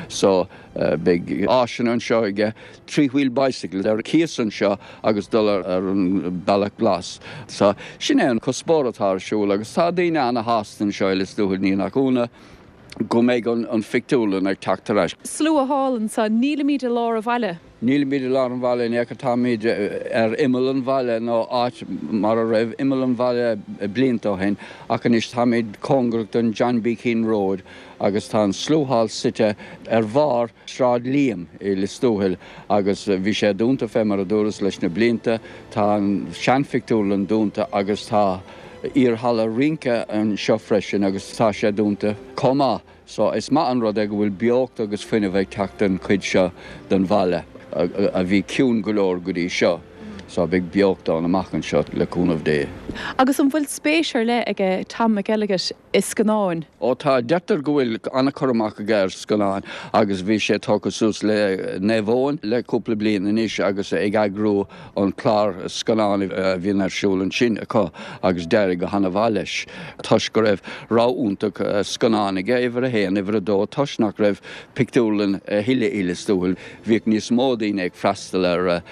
S4: So beidh áiseanna anseo aige, three-wheel bicycles ar cíos anseo agus dul ar an bealach glas. So sin é an cuspóir atá ar siúl agus tá daoine ana-shásta anseo i Lios Tuathail, ní nach ionadh. go mbeidh an phictiúrlann ag teacht ar ais.
S1: Slua thall anso, nílimid i lár an bhaile.
S4: Nílimid i lár an bhaile in aon chor, táimid ar imeall an bhaile nó áit mar a raibh imeall an bhaile blianta ó shin ach anois táimid cóngarach don John B. Keane Road agus tá an Slough Hall suite ar bharr Sráid Liam i Lios Tuathail agus bhí sé dúnta fé mar a dúras leis na blianta. Tá an seanphictiúrlann dúnta agus tá iar-halla rince anseo freisin agus tá sé dúnta chomh maith. So is maith an rud é go bhfuil beocht agus fuinneamh ag teacht don chuid seo den bhaile a bhí ciúin go leor go dtí seo. So beidh beocht ann amach anseo le cúnamh Dé.
S1: Agus an bhfuil spéis ar leith aige Tom McElligott i scannáin?
S4: Ó tá, deirtear go bhfuil an-chur amach aige ar scannáin agus bhí sé tógtha suas le Naomh Eoin le cúpla bliain anois agus ag eagrú an clár scannán a bhíonn ar siúl ansin acu agus d'éirigh go han-mhaith leis toisc go raibh rogha iontach scannán aige, uimhir a haon, uimhir a dó, toisc nach raibh pictiúrlann a thuilleadh i Lios Tuathail, bhíodh níos mó daoine ag freastal ar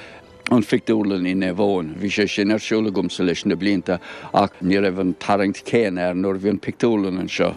S4: an phictiúrlann i Naomh Eoin. Bhí sé sin ar siúl agamsa leis na blianta ach ní raibh an tarraingt chéanna air nuair a bhí an pictiúrlann anseo.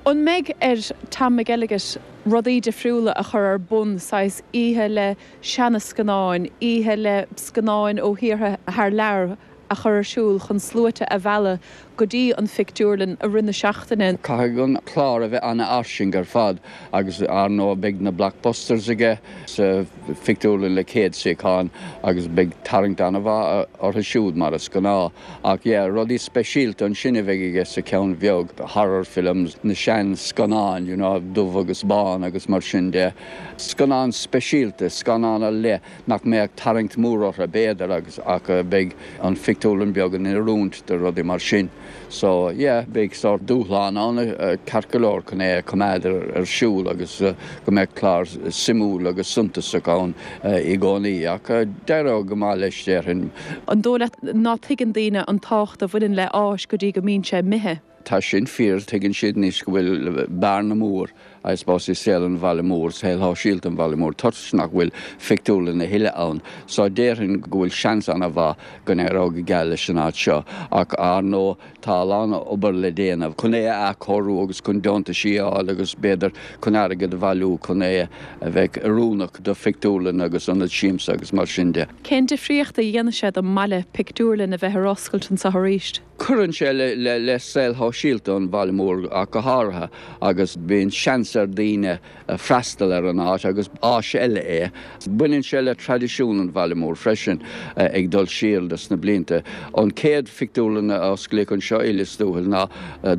S1: An mbeidh ar Tom McElligott rudaí difriúla a chur ar bun, saghas oíche le seana-scannáin, oíche le scannáin ó thíortha thar lear a chur ar siúl chun sluaite a mhealladh go dtí an phictiúrlann i rith na seachtaine?
S4: Caithfidh an clár a bheith an-fhairsing ar fad agus ar ndóigh beidh na blockbusters aige sa phictiúrlann le 100 suíochán agus beidh tarraingt an-mhaith orthu siúd mar is gnáth. Ach yeah, rudaí speisialta ansin a bheidh aige sa cheann bheag, horror films, na sean scannáin, you know, dubh agus bán agus mar sin de. Scannáin speisialta, scannáin ar leith nach mbeadh tarraingt mhór orthu b'fhéidir agus ach beidh an phictiúrlann beag in oiriúint do rudaí mar sin. So yeah, beidh sórt dúshlán ann ceart go leor chun é a choimeád ar siúl agus go mbeadh clár suimiúil agus suntasach ann i gcónaí ach d'éireodh go maith leis déarfainn.
S1: An dóigh leat ná tuigeann daoine an tábhacht a bhaineann le áis go dtí go mbíonn sé imithe?
S4: Tá sin fíor, tuigeann siad anois go bhfuil bearna mór, I suppose, i saol an bhaile mór, saol shóisialta an bhaile mór, toisc nach bhfuil phictiúrlann a thuilleadh ann. So déarfainn go bhfuil seans ana-mhaith go n-éireoidh go geal leis an áit seo. Ach ar ndóigh tá a lán obair le déanamh chun é a athchóiriú agus chun deontaisí a fháil agus b'fhéidir chun airgead a bhailiú chun é a bheith oiriúnach do phictiúrlann agus ionad siamsa agus mar sin de.
S1: Cén difríocht a dhéanfaidh sé don mbaile pictiúrlann a bheith ar oscailt anseo arís?
S4: Cuireann sé le saol shóisialta an bhaile mór ach go háirithe agus bíonn seans ar daoine freastal ar an áit agus áis eile é. Baineann sé le traidisiún an bhaile mór freisin ag dul siar dos na blianta. An chéad phictiúrlann a osclaíodh anseo i Lios Tuathail ná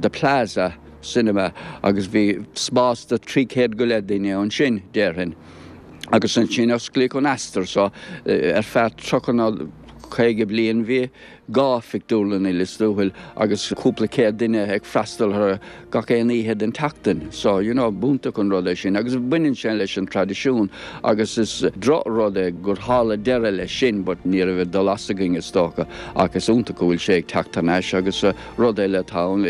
S4: The Plaza Cinema agus bhí spás do 300 go leith duine ansin, déarfainn. Agus ansin osclaíodh an Astor so ar feadh 30 nó 50 bliain bhí. 2 phictiúrlann i Lios Tuathail agus cúpla céad duine ag freastal orthu gach aon oíche den tseachtain. So, you know, b'iontach an rud é sin agus baineann sé leis an traidisiún agus is droch rud é gur tharla deireadh leis sin but ní raibh ag dul as againn is dócha ach is iontach go bhfuil sé ag teacht thar n-ais agus rud eile atá ann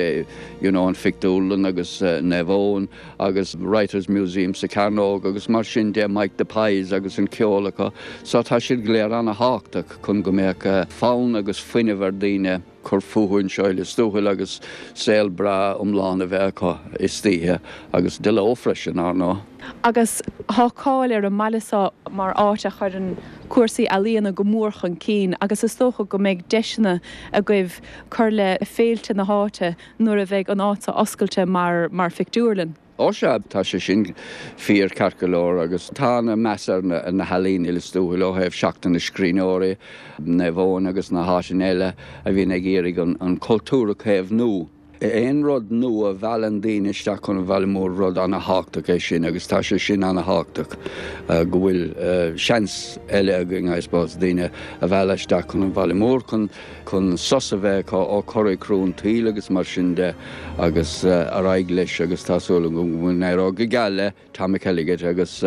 S4: you know an phictiúrlann agus Naomh Eoin agus Writers Museum sa Chearnóg agus mar sin de, Mike the Pies agus an ceol acu. So tá siad go léir ana-thábhachtach chun go mbeadh fonn agus fuinneamh ar daoine cur fúthu anseo i Lios Tuathail agus saol breá iomlán a bheith acu istoíche agus de ló freisin, ar ndóigh.
S1: Agus tá cáil ar an mbaile seo mar áit a chuireann cúrsaí ealaíona go mór chun cinn agus is dócha go mbeidh deiseanna agaibh cur le féilte na háite nuair a bheidh an áit seo oscailte mar mar phictiúrlann.
S4: Ó sea, tá sé sin fíor ceart go leor agus tá ana meas ar na healaíona i Lios Tuathail ó thaobh Seachtain na Scríbhneoirí, Naomh Eoin agus na háiteanna eile a bhíonn ag iarraidh an cultúr a chaomhnú. Aon rud nua a mheallann daoine isteach chun an bhaile mhóir rud ana thábhachtach é sin agus tá sé sin ana thábhachtach go bhfuil seans eile againn I suppose daoine a mhealladh isteach chun an bhaile mhóir chun chun sos a bheith acu ó chorraí crua an tsaoil agus mar sin de agus ar aghaidh leis agus tá súil agam go n-éireoidh go geal le Tom McElligott agus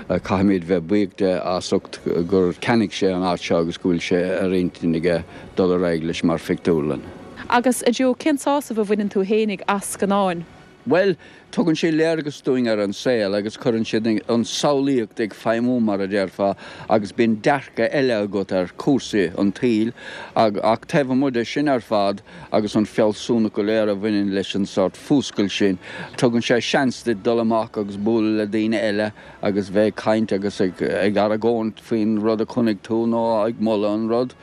S4: caithfimid bheith buíoch de as ucht gur cheannaigh sé an áit seo agus go bhfuil sé ar intinn aige dul ar aghaidh leis mar phictiúrlann.
S1: Agus, a Joe, cén sásamh a bhaineann tú fhéinig as scannáin?
S4: Bhuel, tugann sé léargas dúinn ar an saol agus cuireann siad an samhlaíocht ag feidhmiú, mar a déarfá, agus bíonn dearcadh eile agat ar chúrsaí an tsaoil. Ach taobh amuigh de sin ar fad, agus an fealsúnacht go léir a bhaineann leis an sórt fuascailt sin, tugann sé seans duit dul amach agus bualadh le daoine eile agus bheith ag caint agus ag argóint faoin rud a chonaic tú nó ag moladh an rud.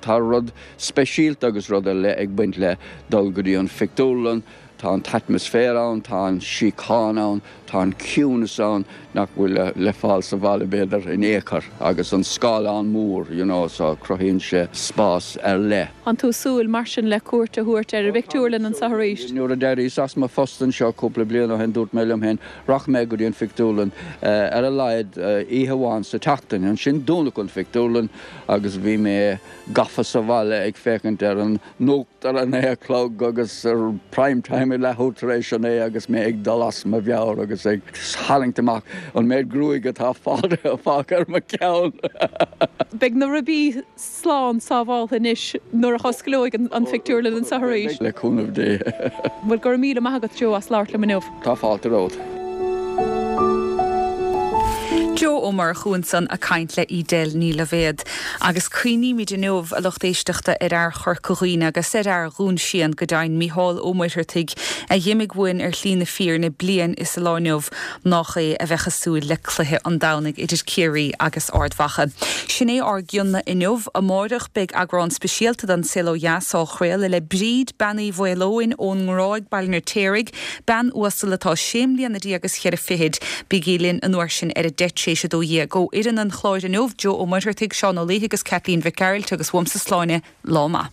S4: Tá rud speisialta agus rud ar leith ag baint le dul go dtí an phictiúrlann. Tá an t-atmaisféar ann, tá an síocháin ann, tá an ciúnas ann nach bhfuil le fáil sa bhaile b'fhéidir in aon chor agus an scáileán mór you know so cruthaíonn sé spás ar leith.
S1: An tú ag súil mar sin le cuairt a thabhairt ar an bpictiúrlann anseo arís?
S4: Nuair a d'éiríos as mo phost anseo cúpla bliain ó shin dúirt mé liom féin rachaidh mé go dtí an phictiúrlann ar a laghad oíche amháin sa tseachtain. Ansin dúnadh an phictiúrlann agus bhí mé gafa sa bhaile ag féachaint ar an nuacht ar a naoi a chlog agus ar Prime Time ag leathuair tar éis a naoi agus mé ag dul as mo mheabhair agus ag tarraingt amach an méid gruaige atá fágtha ar mo cheann.
S1: Beidh na ribí slán sábháltha anois nuair a osclóidh an phictiúrlann anseo arís.
S4: Le cúnamh Dé.
S1: Bhuel, go raibh míle maith agat Joe as labhairt liom inniu.
S4: Tá fáilte romhat.
S1: Joe Ó Murchú ansan a' caint le Edel Ní Loibhéad. Agus cuimhnímid inniu, a lucht éisteachta, ar fhear Chorca Dhuibhne agus ar fhear Dhún Síon, go deimhin, Mícheál Ó Muircheartaigh, a dh'imigh uainn ar shlí na fírinne bliain is a lá inniu, nách é a bheadh ag súil le cluiche an Domhnaigh idir Ciarraí agus Ard Mhacha. Sin é ár gcion-na inniu. Amáireach beidh eagrán speisialta den Saol Ó Dheas á chraoladh le Bríd, Bean Uí Mhaoileoin ón nGráig, Baile an Fheirtéaraigh, Bean uasal atá sé mbliana déag is cheithre fichid. Bígí linn an uair sin ar 12:10. Ó fhoireann an chláir inniu, Joe Ó Muircheartaigh, Seán Ó Laoithe agus Caitlín Mhic Gearailt agus uaimse Sláine, lá maith.